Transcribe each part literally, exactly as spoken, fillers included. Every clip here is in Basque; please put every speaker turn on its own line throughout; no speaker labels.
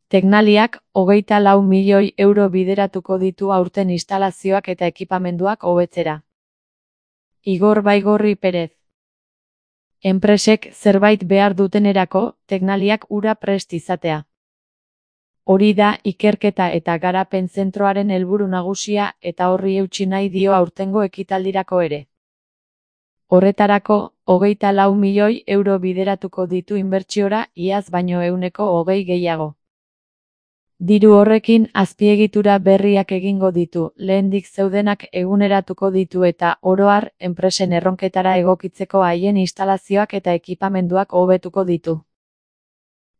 Tecnaliak hogeita lau milioi euro bideratuko ditu aurten instalazioak eta ekipamenduak hobetzera. Igor Baigorri Perez. Enpresek zerbait behar dutenerako, Tecnaliak ura prest izatea. Hori da ikerketa eta garapen zentroaren helburu nagusia eta horri eutsi nahi dio aurtengo ekitaldirako ere. Horretarako, hogeita lau milioi euro bideratuko ditu inbertsiora iaz baino ehuneko hogei gehiago. Diru horrekin azpiegitura berriak egingo ditu, lehendik zeudenak eguneratuko ditu eta, oro har, enpresen erronketara egokitzeko haien instalazioak eta ekipamenduak hobetuko ditu.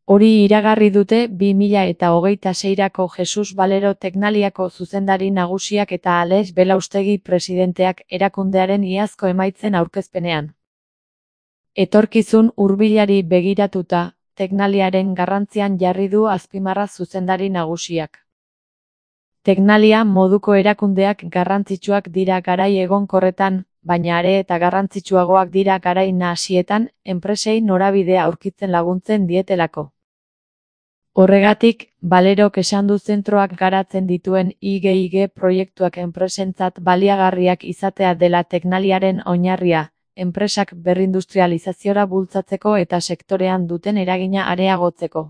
Hori iragarri dute bi mila eta hogeita seirako Jesus Valero Tecnaliako zuzendari nagusiak eta Alex Belaustegi presidenteak erakundearen iazko emaitzen aurkezpenean. Etorkizun hurbilari begiratuta, Tecnaliaren garrantzian jarri du azpimarra zuzendari nagusiak. Tecnalia moduko erakundeak garrantzitsuak dira garai egonkorretan, baina are eta garrantzitsuagoak dira garai nahasietan, enpresei norabidea aurkitzen laguntzen dietelako. Horregatik, Valerok esan du zentroak garatzen dituen I G I G proiektuak enpresentzat baliagarriak izatea dela Tecnaliaren oinarria, enpresak berrindustrializaziora bultzatzeko eta sektorean duten eragina areagotzeko.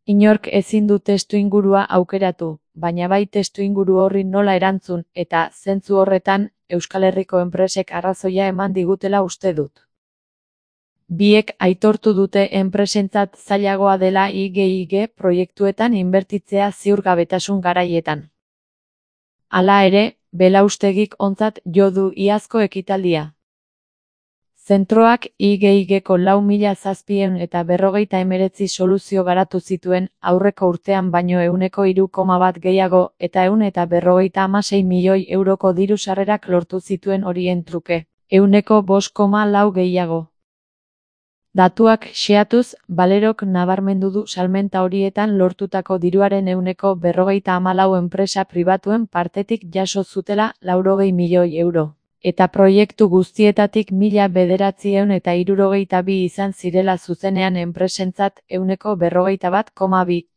Inork ezin du testuingurua aukeratu, baina bai testuinguru horri nola erantzun eta, zentzu horretan, Euskal Herriko enpresek arrazoia eman digutela uste dut. Biek aitortu dute enpresentzat zailagoa dela I G I G proiektuetan inbertitzea ziurgabetasun garaietan. Hala ere, Belaustegik ontzat jo du iazko ekitaldia. Zentroak I G I Gko lau mila zazpiehun eta berrogeita hemeretzi soluzio garatu zituen, aurreko urtean baino ehuneko hiru koma bat gehiago eta ehun eta berrogeita hamasei milioi euroko diru sarrerak lortu zituen horien truke, ehuneko bost koma lau gehiago. Datuak xehatuz, Valerok nabarmendu du salmenta horietan lortutako diruaren ehuneko berrogeita hamalau enpresa pribatuen partetik jaso zutela laurogei milioi euro. Eta proiektu guztietatik mila bederatziehun eta hirurogeita bi izan zirela zuzenean enpresentzat ehuneko berrogeita bat koma bi.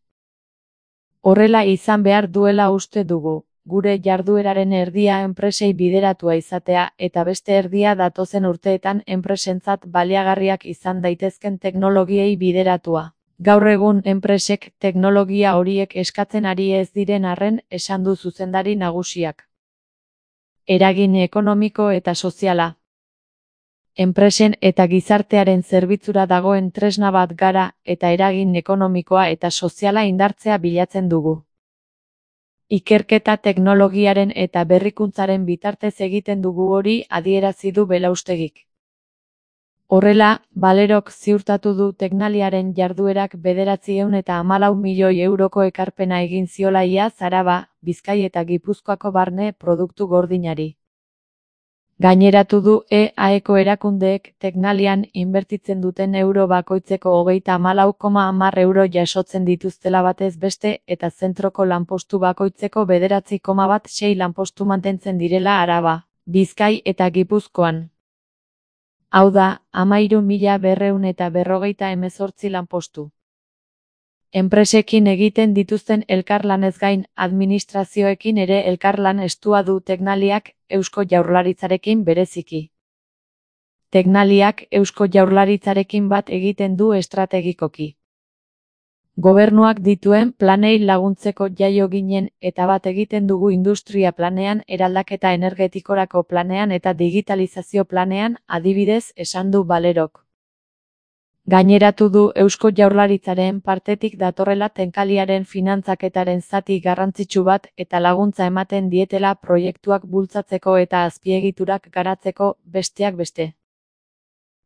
Horrela izan behar duela uste dugu, gure jardueraren erdia enpresei bideratua izatea eta beste erdia datozen urteetan enpresentzat baliagarriak izan daitezken teknologiei bideratua. Gaur egun enpresek teknologia horiek eskatzen ari ez diren arren esan du zuzendari nagusiak. Eragin ekonomiko eta soziala. Enpresen eta gizartearen zerbitzura dagoen tresna bat gara eta eragin ekonomikoa eta soziala indartzea bilatzen dugu. Ikerketa teknologiaren eta berrikuntzaren bitartez egiten dugu hori adierazi du Belaustegik. Horrela, Valerok ziurtatu du Tecnaliaren jarduerak bederatziehun eta hamalau milioi euroko ekarpena egin ziola iaz Araba, Bizkai eta Gipuzkoako barne produktu gordinari. Gaineratu du E A Eko erakundeek Tecnalian inbertitzen duten euro bakoitzeko hogeita hamalau koma hamar euro jasotzen dituztela batez beste eta zentroko lanpostu bakoitzeko bederatzi koma bat sei lanpostu mantentzen direla Araba, Bizkai eta Gipuzkoan. Hau da, hamairu mila berrehun eta berrogeita hemezortzi lanpostu. Enpresekin egiten dituzten elkarlanez gain, administrazioekin ere elkarlan estua du Tecnaliak Eusko Jaurlaritzarekin bereziki. Tecnaliak Eusko Jaurlaritzarekin bat egiten du estrategikoki. Gobernuak dituen planei laguntzeko jaio ginen eta bat egiten dugu industria planean, eraldaketa energetikorako planean eta digitalizazio planean, adibidez, esan du Valerok. Gaineratu du Eusko Jaurlaritzaren partetik datorrela Tecnaliaren finantzaketaren zati garrantzitsu bat eta laguntza ematen dietela proiektuak bultzatzeko eta azpiegiturak garatzeko, besteak beste.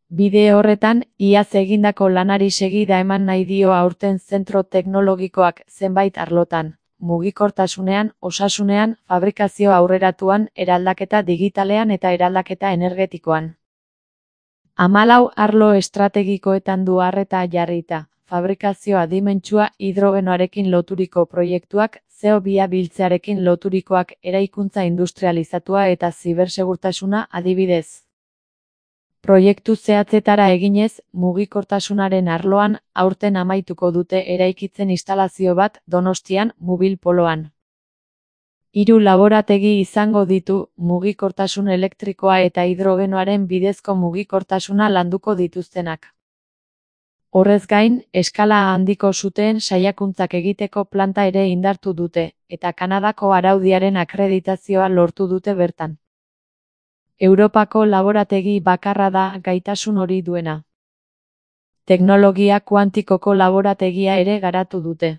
Bide horretan, iaz egindako lanari segida eman nahi dio aurten zentro teknologikoak zenbait arlotan, mugikortasunean, osasunean, fabrikazio aurreratuan, eraldaketa digitalean eta eraldaketa energetikoan. Hamalau arlo estrategikoetan du arreta jarrita, fabrikazio adimentsua hidrogenoarekin loturiko proiektuak, C O bi biltzearekin loturikoak, eraikuntza industrializatua eta zibersegurtasuna adibidez. Proiektu zehatzetara eginez, mugikortasunaren arloan, aurten amaituko dute eraikitzen instalazio bat Donostian, Mubil Poloan. Hiru laborategi izango ditu, mugikortasun elektrikoa eta hidrogenoaren bidezko mugikortasuna landuko dituztenak. Horrez gain, eskala handiko suteen saiakuntzak egiteko planta ere indartu dute, eta Kanadako araudiaren akreditazioa lortu dute bertan. Europako laborategi bakarra da gaitasun hori duena. Teknologia kuantikoko laborategia ere garatu dute.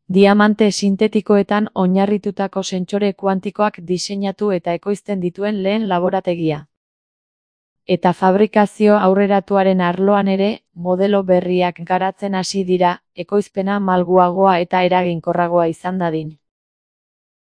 Diamante sintetikoetan oinarritutako sentsore kuantikoak diseinatu eta ekoizten dituen lehen laborategia. Eta fabrikazio aurreratuaren arloan ere, modelo berriak garatzen hasi dira, ekoizpena malguagoa eta eraginkorragoa izan dadin.